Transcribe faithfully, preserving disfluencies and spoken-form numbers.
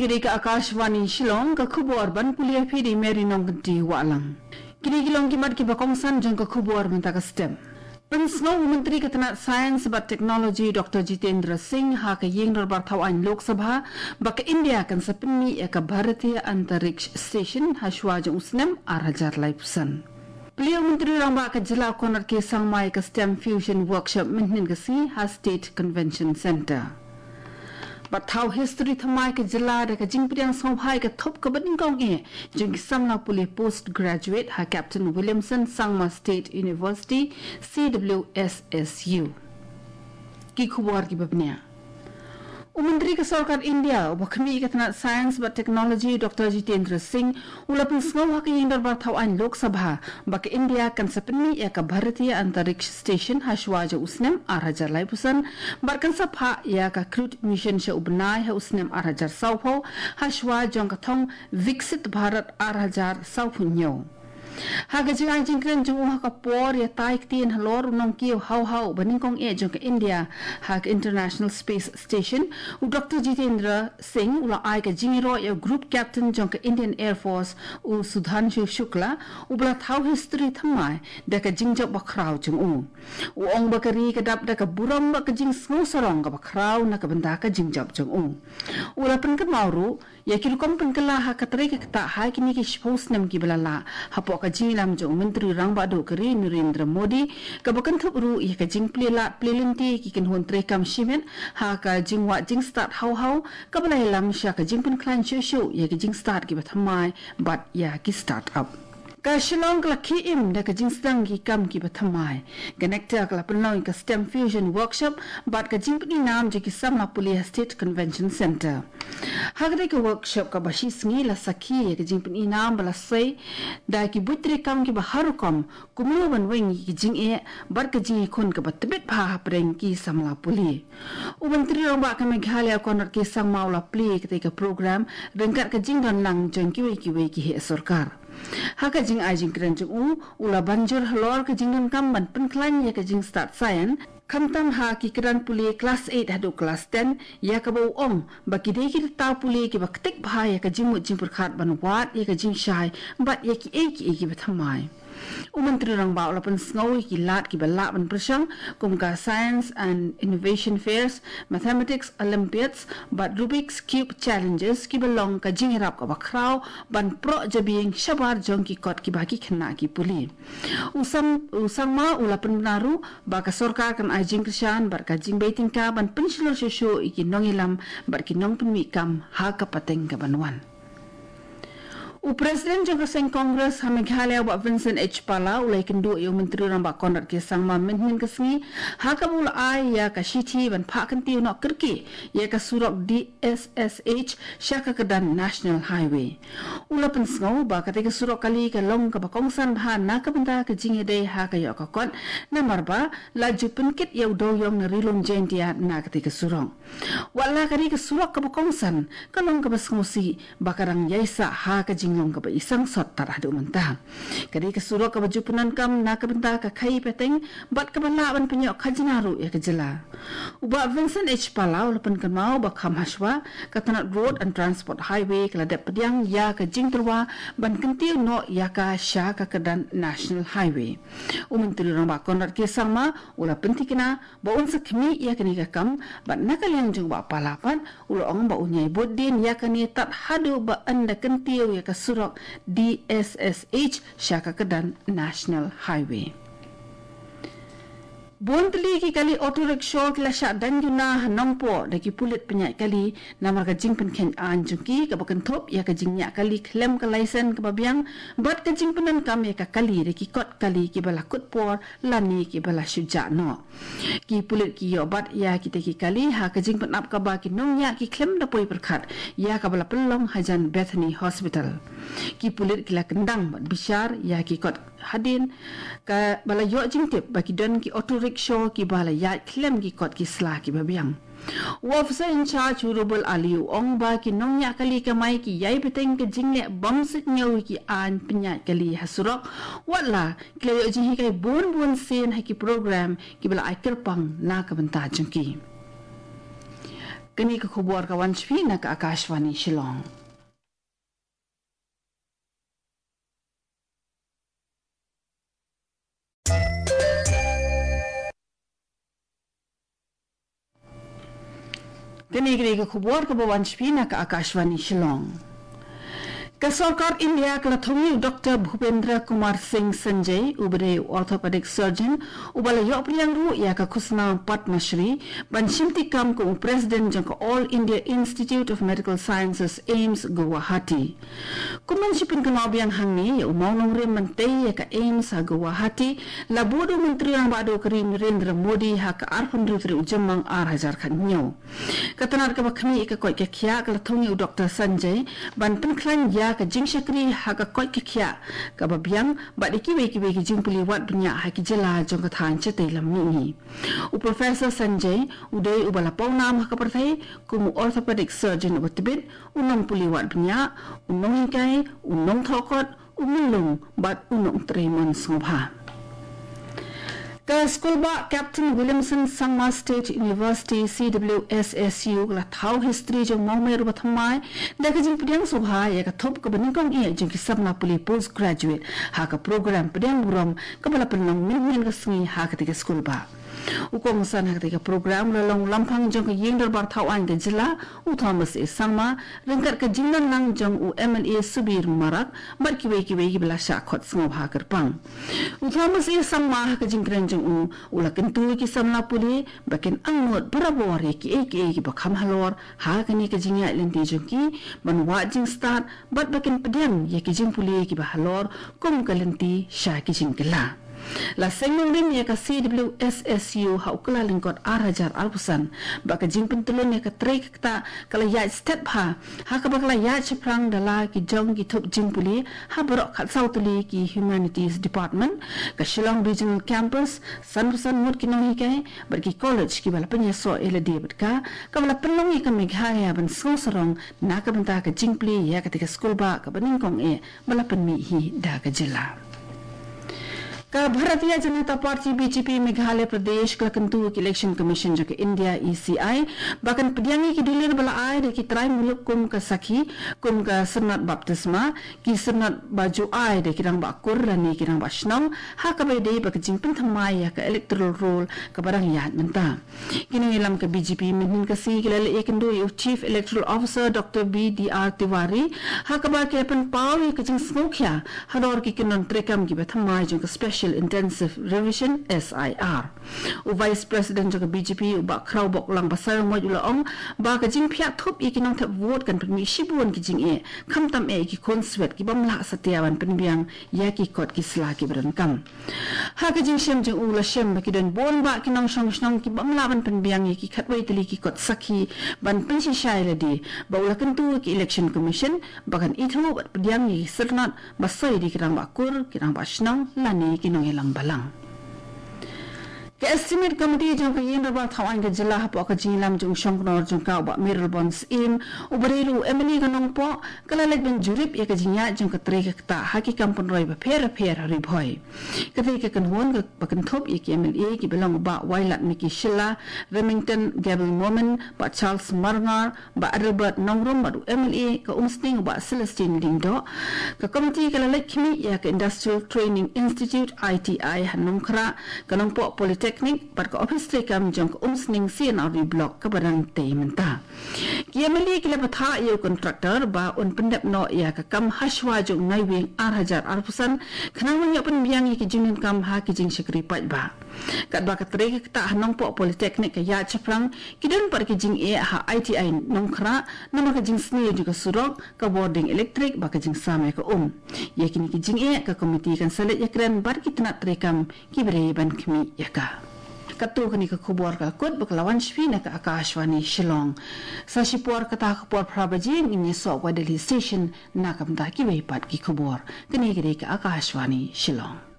Kine ka Akashvani Shillong, ka khubor ban pule ïa phi da i Mary Nongkynti Wahlang. Kine ki long ki mat kiba kongsan jong ka khubor mynta ka step. Pynsngew u Myntri ka tnat Science bad Technology Doctor Jitendra Singh ha ka ïing dorbar thaw aiñ Lok Sabha ba ka India kan sa pynmih ïa ka Bharatiya Antariksh Station ha shuwa jong u snem ar hajar laiphew san. Plie u Myntri Rangbah ka jylla Conrad K Sangma ïa ka STEM Fusion Workshop mynhynnin ka sngi ha State Convention Centre. Bad thaw history thymmai ka jylla da ka jingpdiang sngewbha ïa ka thup kaba nyngkong eh jong ki samla pule postgraduate ha Captain Williamson Sangma State University, C W S S U. Ki khubor kiba bniah. U Myntri ka Sorkar India uba khmih ïa ka tnat Science bad Technology Doctor Jitendra Singh u la pynsngew ha ka ïing dorbar thaw aiñ Lok Sabha ba ka India kan sa pynmih ïa ka Bharatiya Antariksh Station ha shuwa jong u snem ar hajar laiphew san bad kan sa phah ïa ka crewed mission sha u bnai ha u snem ar hajar sawphew ha shuwa jong ka thong Viksit Bharat ar hajar sawphew hynñiew. Ha ka jingai jingkren jong u ha ka por ïatai ktien halor u nongkiew haw haw ba nyngkong eh jong ka India ha ka International Space Station, u Doctor Jitendra Singh u la ai ka jingïaroh ïa u Group Captain jong ka Indian Air Force, u Sudhanshu Shukla, uba la thaw history thymmai da ka jingjop bakhraw jong u. U ong ba ka ri ka dap da ka burom bad ka jingsngew sarong kaba khraw na ka bynta ka jingjop jong u. U la pynkynmaw ruh ïa ki rukom pynkylla ha ka trei ka ktah ha kine ki shiphew snem kiba la lah hapoh ka jingïalam jong u Myntri Rangbah Duh ka ri Narendra Modi, kaba kynthup ruh ïa ka jingplie lad plie lynti ki kynhun treikam shimet ha ka jingwad jingstad haw haw, kaba la ïalam sha ka jingpynkhlaiñ shuh shuh ïa ki jingstad kiba thymmai bad ïa ki start-up. Ka Shillong ka la khie im da ka jingsdang ki kam kiba thymmai. Ka NECTAR ka la pynlong ïa ka STEM Fusion Workshop bad ka jingpyni nam jong ki samla pule ha State Convention Centre. Ha katei ka workshop kaba shi sngi la sakhi ïa ka jingpyni nam ba la sei da ki buit treikam kiba har rukom, kumno ban weng ïa ki jingeh bad ka jingïakhun kaba tbit bha hapdeng ki samla pule. U Myntri Rangbah ka Meghalaya Conrad K Sangma u la plie ïa katei ka program ryngkat ka jingdon lang jong kiwei kiwei ki heh sorkar. Ha ka jingai jingkren jong u, u la ban jur halor ka jingdonkam ban pynkhlaiñ ïa ka jingstad science, khamtam ha ki kyrdan pule klas eight haduh klas ten, ïa kaba u ong ba ki dei ki rta pule kiba ktik bha ïa ka jingmut jingpyrkhat ban wad ïa ka jingshai bad ïa kiei kiei kiba thymmai. U Myntri Rangbah u la pynsngew ïa ki lad kiba lah ban pyrshang, kum ka Science and Innovation Fairs, Mathematics Olympiads bad Rubik's Cube Challenges, kiba long ka jingïarap kaba khraw ban proh jabieng shabar jong ki kot kiba ki khynnah ki pule. U Sam, u Sangma u la pynbna ruh ba ka sorkar kan ai jingkyrshan bad ka jingbei tyngka ban pynshlur shuh shuh ïa ki nongïalam bad ki nongpynmih kam ha ka pateng kaban wan. U President jong ka seng Congress ha Meghalaya, Bah Vincent H Pala, u la ïakynduh ïa u Myntri Rangbah Conrad K Sangma mynhynnin ka sngi, ha kaba u la ai ïa ka shithi ban phah kyntiew noh kyrkieh ïa ka surok D S S H sha ka kyrdan National Highway. U la pynsngew ba katei ka surok kali ka long kaba kongsan bha na ka bynta ka jingïadei ha ka ïoh ka kot, namar ba la ju pynkit ïa u dewïong na Ri Lum Jaintia na katei ka surok. Wat la ka dei ka surok kaba kongsan, ka long kaba sngewsih ba ka dang ïaisah ha ka jinglong kaba i sangsot tad haduh mynta. Ka dei ka surok kaba ju pyndonkam na ka bynta ka khaii pateng bad kaba lah ban pynïoh khajna ruh ïa ka jylla. U Bah Vincent H Pala u la pynkynmaw ba kham hashwa, ka tnat Road and Transport Highway ka la dep pdiang ïa ka jingtyrwa ban kyntiew noh ïa ka sha ka kyrdan National Highway. U Myntri Rangbah Conrad K Sangma u la pynthikna ba un sa khmih ïa kane ka kam, bad na ka liang jong u Bah Pala pat u la ong ba un ïai bud dien ïa kane tad haduh ba yn da kyntiew ïa ka surok D S S H sha ka kyrdan National Highway. Bun tylli ki kali auto rickshaw ki la shah dang juna ha Nongpoh da ki pulit pynïaid kali, namar ka jingpynkheiñ aiñ jong ki kaba kynthup ïa ka jingñiah kali khlem ka laisen kaba biang, bad ka jingpyndonkam ïa ka kali da ki kot kali kiba la kut por lane kiba la shu jah noh. Ki pulit ki ïoh bat ïa kita ki kali ha ka jingpynap kaba ki nongñiah ki khlem da poi pyrkhat ïa kaba la pynlong hajan Bethany Hospital. Ki pulit ki la kyndang bad bishar ïa ki kot hadien kaba la ïoh jingtip ba ki don ki auto rickshaw kiba la ïaid khlem ki kot ki sla kiba biang. U Officer in Charge u Rubal Ali u ong ba ki nongñiah kali kamai ki ïai bteng ka jingleh bym suidñiew ïa ki aiñ pynïaid kali ha surok, wat la ki la ïoh jinghikai bun bun sien ha ki program kiba la ai kyrpang na ka bynta jong ki. Kane ka khubor ka wan sha phi na ka Akashvani Shillong. Kane ka dei ka khubor kaba wan sha phi na ka Akashvani Shillong. Ka sorkar India ka la thung ïa u Doktor Bhupendra Kumar Singh Sanjay, uba dei u orthopedic surgeon, uba la ïoh pdiang ruh ïa ka khusnam Padma Shri, ban shimti kam kum u president jong ka All India Institute of Medical Sciences, AIIMS, Guwahati. Kum ban shu pynkynmaw biang hangne ïa u mawnongrim ban tei ïa ka AIIMS ha Guwahati, la bud u Myntri Rangbah Duh ka ri Narendra Modi ha ka arphew hynriew tarik u Jymmang ar hajar khathynñiew. Ka tnat kaba khmih ïa ka koit ka khiah ka la thung ïa u Doktor Sanjay ban pynkhlaiñ ïa ka jingshakri ha ka koit ka khiah kaba biang bad ïa kiwei kiwei ki jingpule wad bniah ha ki jylla jong ka thaiñ shatei lam mihngi. U Professor Sanjay u dei uba la pawnam ha ka pyrthei kum u orthopedic surgeon uba tbit, u nongpule wad bniah, u nonghikai, u nongthoh kot, u myllung bad u nongtrei mon sngewbha. Ka skulbah Captain Williamson Sangma State University, C W S S U, ka la thaw history jong u mawmer uba thymmai da ka jingpdiang sngewbha ïa ka thup kaba nyngkong eh jong ki samla pule postgraduate ha ka program pdiang burom kaba la pynlong mynhynnin ka sngi ha katei ka skulbah. U kongsan ha katei ka program u la long u lamphang jong ka Ïing Dorbar Thaw Aiñ ka jylla, u Thomas A Sangma, ryngkat ka jingdon lang jong u M L A Subir Marak bad kiwei kiwei kiba la shah khot sngewbha kyrpang. U Thomas A Sangma ha ka jingkren jong u, u la kyntu ïa ki samla pule ba kin angnud barabor ïa kiei kiei kiba kham halor ha kane ka jingïaid lynti jong ki, ban wad jingstad bad ba kin pdiang ïa ki jingpule kiba halor kum ka lynti sha ki jingkylla. La seng nongrim ïa ka C W S S U ha u Kyllalyngkot ar hajar arphew san, ba ka jingpyntlun ïa ka trei ka ktah ka la ïaid stet bha, ha kaba ka la ïaid shaphrang da la ki jong ki thup jingpule ha baroh khatsaw tylli ki Humanities Department, ka Shillong Regional Campus, sanphew san ngut ki nonghikai bad ki college kiba la pynïasoh ïa lade bad ka, kaba la pynlong ïa ka Meghalaya ban sngewsarong na ka bynta ka jingplie ïa katei ka skulbah kaba nyngkong eh ba la pynmih hi da ka jylla. Ka Bharatiya Janata Party, B J P, Meghalaya Pradesh ka la kyntu ïa ka Election Commission jong ka India, E C I, ba kan pdiang ïa ki dulir ba la ai da ki trai muluk kum ka sakhi, kum ka syrnod baptisma, ki syrnod ba ju ai da ki rangbah kur lane ki rangbah shnong, ha kaba ïadei bad ka jingpynthymmai ïa ka electoral roll kaba dang ïaid mynta. Ki nongïalam ka B J P mynhynnin ka sngi ki la leit ïakynduh ïa u Chief Electoral Officer Doctor B D R Tiwari, ha kaba ki la pynpaw ïa ka jingsngewkhia halor ki kyndon treikam kiba thymmai jong ka Special Intensive Revision, S I R. U Vice President jong ka B J P, u Bah Khrawboklang Basaiawmoit, u la ong ba ka jingphiah thup ïa ki nongthep vote kan pynmih shibun ki jingeh, khamtam eh ïa ki khun swet ki bym lah satia ban pynbiang ïa ki kot ki sla kiba donkam. Ha ka jingshem jong u, la shem ba ki don bun bah ki nongshong shnong ki bym lah ban pynbiang ïa ki khatwei tylli ki kot sakhi ban pynshisha ïa lade, bad u la kyntu ïa ka Election Commission ba kan ithuh bad pdiang ïa ki syrnod ba soi da ki rangbah kur, ki rangbah shnong lane ki nongïalam balang. Ka Estimate Committee jong ka Ïing Dorbar Thaw Aiñ ka jylla, hapoh ka jingïalam jong u shongknor jong ka, u Bah Mayralborn Syiem, uba dei ruh u M L A ka Nongpoh, ka la leit ban jurip ïa ka jingïaid jong ka trei ka ktah ha ki kam pynroi bapher bapher ha Ri Bhoi. Katei ka kynhun kaba kynthup ïa ki M L A kiba long u Bah Wailadmiki Shylla, Remington Gabriel Momin, Bah Charles Marngar, Bah Adelbert Nongrum bad u M L A ka Umsning u Bah Celestine Lyngdoh, ka komiti ka la leit khmih ïa ka Industrial Training Institute, I T I, ha Nongkhrah, ka Nongpoh Polytechnic bad ka ophis treikam jong ka Umsning C and R D Block kaba dang tei mynta. Ki M L A ki la bthah ïa u contractor ba un pyndep noh ïa ka kam hashwa jong u Naiwieng ar hajar arphew san, khnang ban ïoh pynbiang ïa ki jingdonkam ha ki jingshakri paidbah. Katba ka trei ka ktah ha Nongpoh Polytechnic ka ïaid shaphrang, ki don pat ki jingeh ha I T I Nongkhrah, namar ka jingsniew jong ka surok, ka bording elektrik bad ka jingsam ïa ka um. Ïa kine ki jingeh ka komiti kan sa leit ïakren bad ki tnat treikam kiba dei ban khmih ïa ka. Katto kane ka khubor ka la kut bad ka la wan sha phi na ka Akashvani Shillong. Sa shipor kata ka por phra baje ngin ïasoh bad ka Delhi Station na ka bynta kiwei pat ki khubor. Kane ka dei ka Akashvani Shillong.